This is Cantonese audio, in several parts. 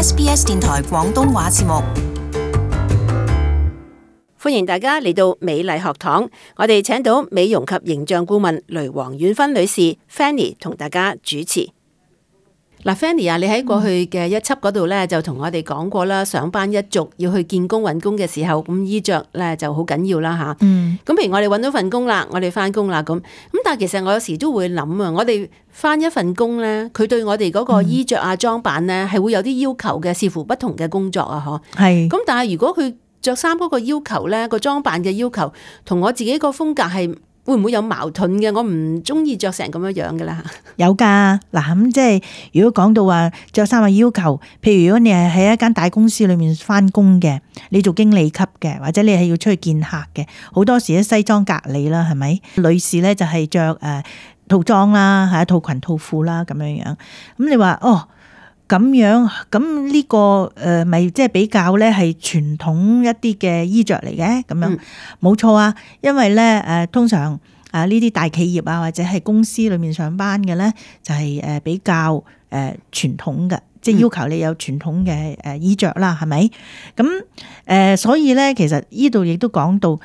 SBS 電台廣東話節目。歡迎大家嚟到美麗學堂，我哋請到美容及形象顧問雷黃婉芬女士 Fanny 同大家主持。嗱，Fanny 啊，你喺過去嘅一輯嗰度咧，就同我哋講過啦，上班一族要去見工揾工嘅時候，咁衣着咧就好緊要啦吓。咁譬如我哋揾到份工啦，我哋翻工啦，咁但係其實我有時都會諗啊，我哋翻一份工咧，佢對我哋嗰個衣着啊、裝扮咧，係會有啲要求嘅，視乎不同嘅工作啊，嗬。係。咁但係如果佢着衫嗰個要求咧，個裝扮嘅要求同我自己個風格係會唔會有矛盾嘅？我唔中意着成咁樣樣嘅啦。有噶，嗱咁即係如果講到話着衫嘅要求，譬如如果你係喺一間大公司裏面翻工嘅，你做經理級嘅，或者你係要出去見客嘅，好多時咧西裝革履啦，係咪？女士咧就係着套裝啦，係套裙套褲啦咁樣樣。咁你話哦？咁樣咁呢個咪即係比較咧係傳統一啲嘅衣着嚟嘅咁樣，冇錯啊。因為咧通常呢啲大企業啊或者係公司裏面上班嘅咧就係比較傳統嘅，即係要求你有傳統嘅衣着啦，係咪？咁所以咧其實呢度亦都講到。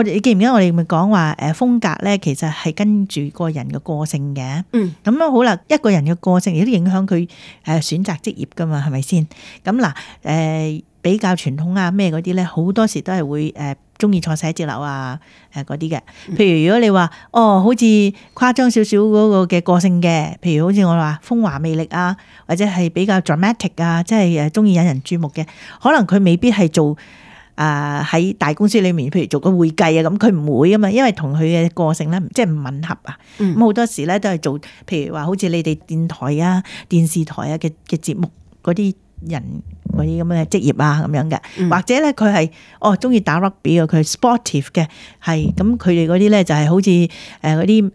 你記唔記得我哋咪講話風格咧，其實係跟住個人嘅個性嘅。咁樣好啦，一個人嘅個性亦都影響佢選擇職業噶嘛，係咪先？咁嗱比較傳統啊咩嗰啲咧，好多時都係會中意坐寫字樓啊嗰啲嘅。譬如如果你話好似誇張少少嗰個嘅個性嘅，譬如好似我話風華魅力啊，或者係比較 dramatic 啊，即係中意引人注目嘅，可能佢未必係做。喺大公司裏面，譬如做個會計啊，咁佢唔會啊嘛，因為同佢嘅個性咧，即係唔吻合啊。咁好多時咧都係做，譬如話好似你哋電台啊、電視台啊嘅節目嗰啲人嗰啲咁嘅職業啊咁樣嘅，或者咧佢係中意打 rugby 啊，佢係 sportive 嘅，係咁佢哋嗰啲咧就係好似嗰啲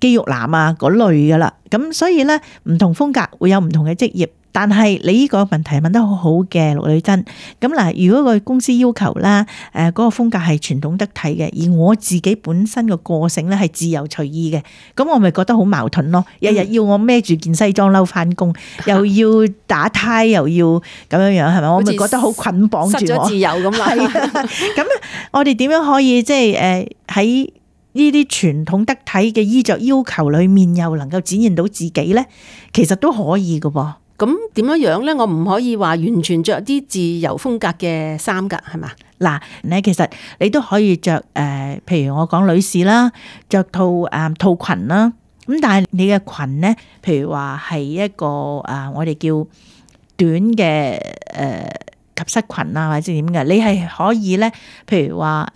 肌肉男啊嗰類噶啦。咁所以咧唔同風格會有唔同嘅職業。但係你呢個問題問得好好嘅，陸女珍。咁嗱，如果個公司要求啦，嗰個風格係傳統得體嘅，而我自己本身個個性咧係自由隨意嘅，咁我咪覺得好矛盾咯。日日要我孭住件西裝褸翻工，又要打呔，又要咁樣樣，係咪？我咪覺得好捆綁住我，失咗自由咁啦。咁我哋點樣可以即係喺呢啲傳統得體嘅衣着要求裏面，又能夠展現到自己咧？其實都可以㗎噃。咁點樣樣咧？我唔可以話完全着啲自由風格嘅衫噶，係嘛？嗱，你其實你都可以着譬如我講女士啦，着套裙啦。咁但係你嘅裙咧，譬如話係一個我哋叫短嘅及膝裙啊，或者點嘅，你係可以咧，譬如話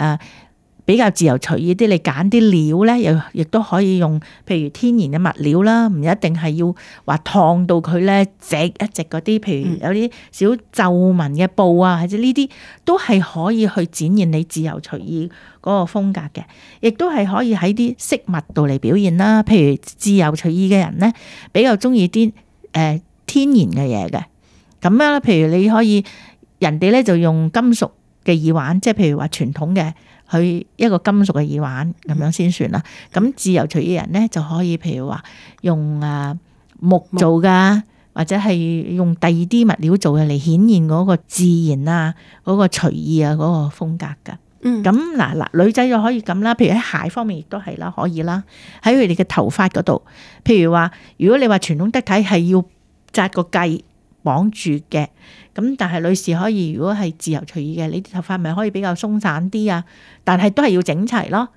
比較自由隨意啲，你揀啲料咧，亦都可以用，譬如天然嘅物料啦，唔一定係要話燙到佢咧直一直嗰啲，譬如有啲小皺紋嘅布啊，或者呢啲都係可以去展現你自由隨意嗰個風格嘅，亦都係可以喺啲飾物度嚟表現啦。譬如自由隨意嘅人咧，比較中意啲天然嘅嘢嘅，咁樣咧，譬如你可以人哋咧就用金屬嘅耳環，即係譬如話傳統嘅。去一個金屬嘅耳環咁樣先算啦。咁自由隨意人咧就可以，譬如話用木做噶，或者係用第二啲物料做嘅嚟顯現嗰個自然啊、嗰個隨意啊、嗰個風格噶。咁嗱，女仔就可以咁啦。譬如喺鞋方面亦都係啦，可以啦。喺佢哋嘅頭髮嗰度，譬如話，如果你話傳統得體係要紮個髻綁住嘅。咁但係女士可以，如果係自由隨意嘅，你啲頭髮咪可以比較鬆散啲啊，但係都係要整齊咯。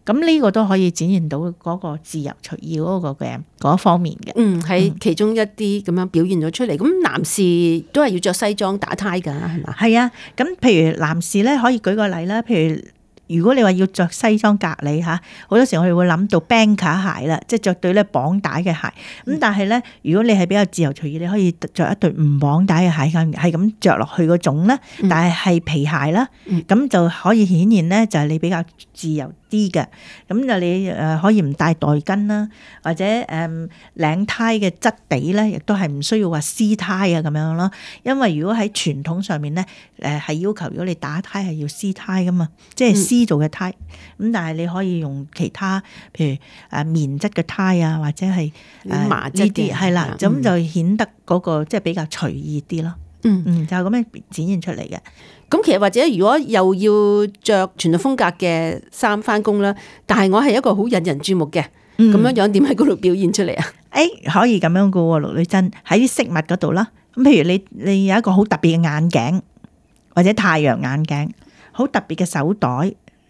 咁呢個都可以展現到嗰個自由隨意嗰個嘅嗰方面嘅。喺其中一啲咁樣表現咗出嚟。咁男士都係要着西裝打呔㗎，係嘛？係啊。咁譬如男士咧，可以舉個例啦。譬如果你話要着西裝革履嚇，好多時我哋會諗到 banker 鞋啦，即係着對咧綁帶嘅鞋。咁但係咧，如果你係比較自由隨意，你可以着一對唔綁帶嘅鞋，係咁着落去嗰種咧，但係皮鞋啦，咁就可以顯現咧就係你比較自由啲嘅。咁就你可以唔帶袋巾啦，或者領呔嘅質地咧，亦都係唔需要話絲呔啊咁樣咯。因為如果喺傳統上面咧，係要求如果你打呔係要絲呔噶嘛，即係絲絲做嘅呔，咁但係你可以用其他，譬如棉質嘅呔啊，或者係麻質啲，係啦，咁就顯得嗰個即係比較隨意啲咯。就咁樣展現出嚟嘅。咁其實或者如果又要着傳統風格嘅衫翻工啦，但係我係一個好引人注目嘅，咁樣樣點喺嗰度表現出嚟啊？可以咁樣噶喎，陸女真喺啲飾物嗰度啦。咁譬如你有一個好特別嘅眼鏡，或者太陽眼鏡，好特別嘅手袋，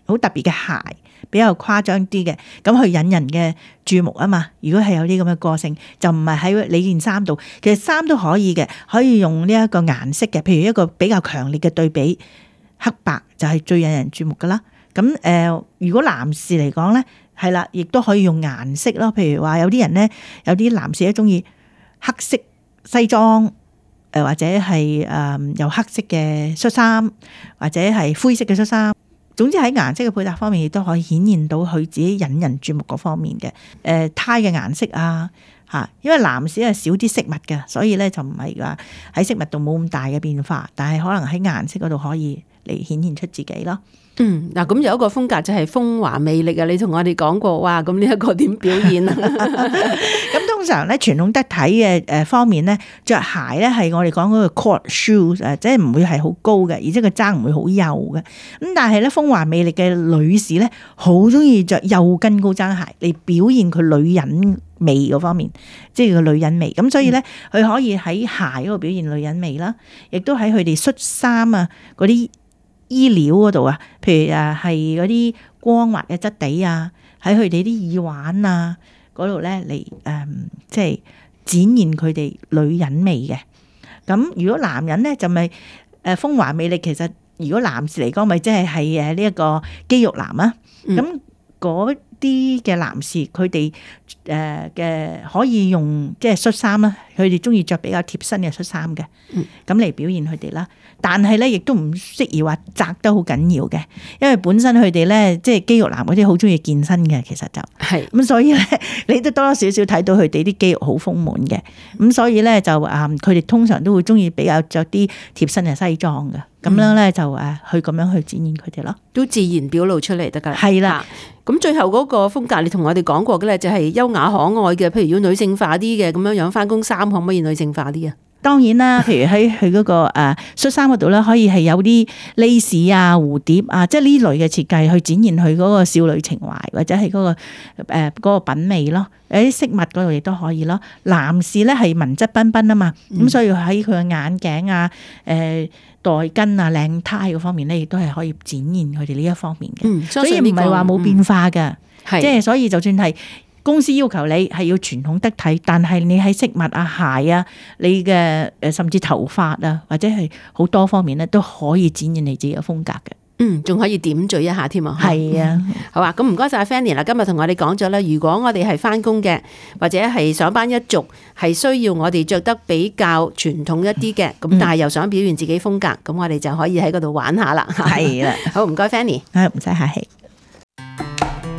好特別嘅鞋，比較誇張啲嘅，咁去引人嘅注目啊嘛。如果係有啲咁嘅個性，就唔係喺你件衫度，其實衫都可以嘅，可以用呢一個顏色嘅，譬如一個比較強烈嘅對比，黑白就係最引人注目噶啦。咁如果男士嚟講咧，係啦，亦都可以用顏色咯。譬如話有啲人咧，有啲男士咧中意黑色西裝，或者係有黑色嘅恤衫，或者係灰色嘅恤衫。總之喺顏色嘅配搭方面，亦都可以顯現到佢自己引人注目嗰方面嘅。呔嘅顏色啊，因為男士係少啲飾物嘅，所以咧就唔係話喺飾物度冇咁大嘅變化，但係可能喺顏色嗰度可以嚟顯現出自己咯。嗱，咁有一個風格就係風華魅力啊！你同我哋講過，哇，咁呢一個點表現啊？咁通常咧傳統得體嘅方面咧，着鞋咧係我哋講嗰個 court shoes， 即係唔會係好高嘅，而且個踭唔會好幼嘅。咁但係咧風華魅力嘅女士咧，好中意着幼跟高踭鞋嚟表現佢女人味嗰方面，即係個女人味。咁所以咧，佢可以喺鞋嗰度表現女人味啦，亦都喺佢哋恤衫啊嗰啲衣料嗰度啊，譬如係嗰啲光滑嘅質地啊，喺佢哋啲耳環啊嗰度咧嚟即係展現佢哋女人味嘅。咁如果男人咧就咪風華魅力，其實如果男士嚟講咪即係呢一個肌肉男啊。咁嗰啲嘅男士佢哋嘅可以用即係恤衫啦，佢哋中意着比較貼身嘅恤衫嘅，咁嚟表現佢哋啦。但係咧亦都唔適宜話窄得好緊要嘅，因為本身佢哋咧即係肌肉男嗰啲好中意健身嘅，其實就係咁，所以咧你都多多少少睇到佢哋啲肌肉好豐滿嘅，咁所以咧就佢哋通常都會中意比較着啲貼身嘅西裝嘅，咁樣咧就去咁樣去展現佢哋咯，都自然表露出嚟得㗎。係啦。咁最後嗰個風格，你同我哋講過嘅咧，就係優雅可愛嘅。譬如要女性化啲嘅咁樣樣翻工衫，可唔可以女性化啲啊？當然啦，譬如喺佢嗰個恤衫嗰度咧，可以係有啲 lace 啊、蝴蝶啊，即係呢類嘅設計去展現佢嗰個少女情懷，或者係嗰個品味咯。喺飾物嗰度亦都可以咯。男士咧係文質彬彬啊嘛，咁所以喺佢嘅眼鏡啊、袋巾啊、領呔嗰方面咧，亦都係可以展現佢哋呢一方面嘅。所以唔係話冇變化嘅，即係所以就算係公司要求你係要傳統得體，但係你喺飾物啊、鞋啊、你嘅甚至頭髮啊，或者係好多方面咧，都可以展現你自己嘅風格嘅。仲可以點綴一下添啊！係啊，好啊！咁唔該晒 Fanny 啦，今日同我哋講咗啦，如果我哋係翻工嘅，或者係上班一族，係需要我哋着得比較傳統一啲嘅，咁但係又想表現自己風格，咁我哋就可以喺嗰度玩下啦。係啦，好唔該 Fanny，唔使客氣。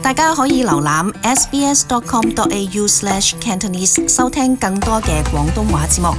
大家可以瀏覽 sbs.com.au/Cantonese 收聽更多嘅廣東話節目。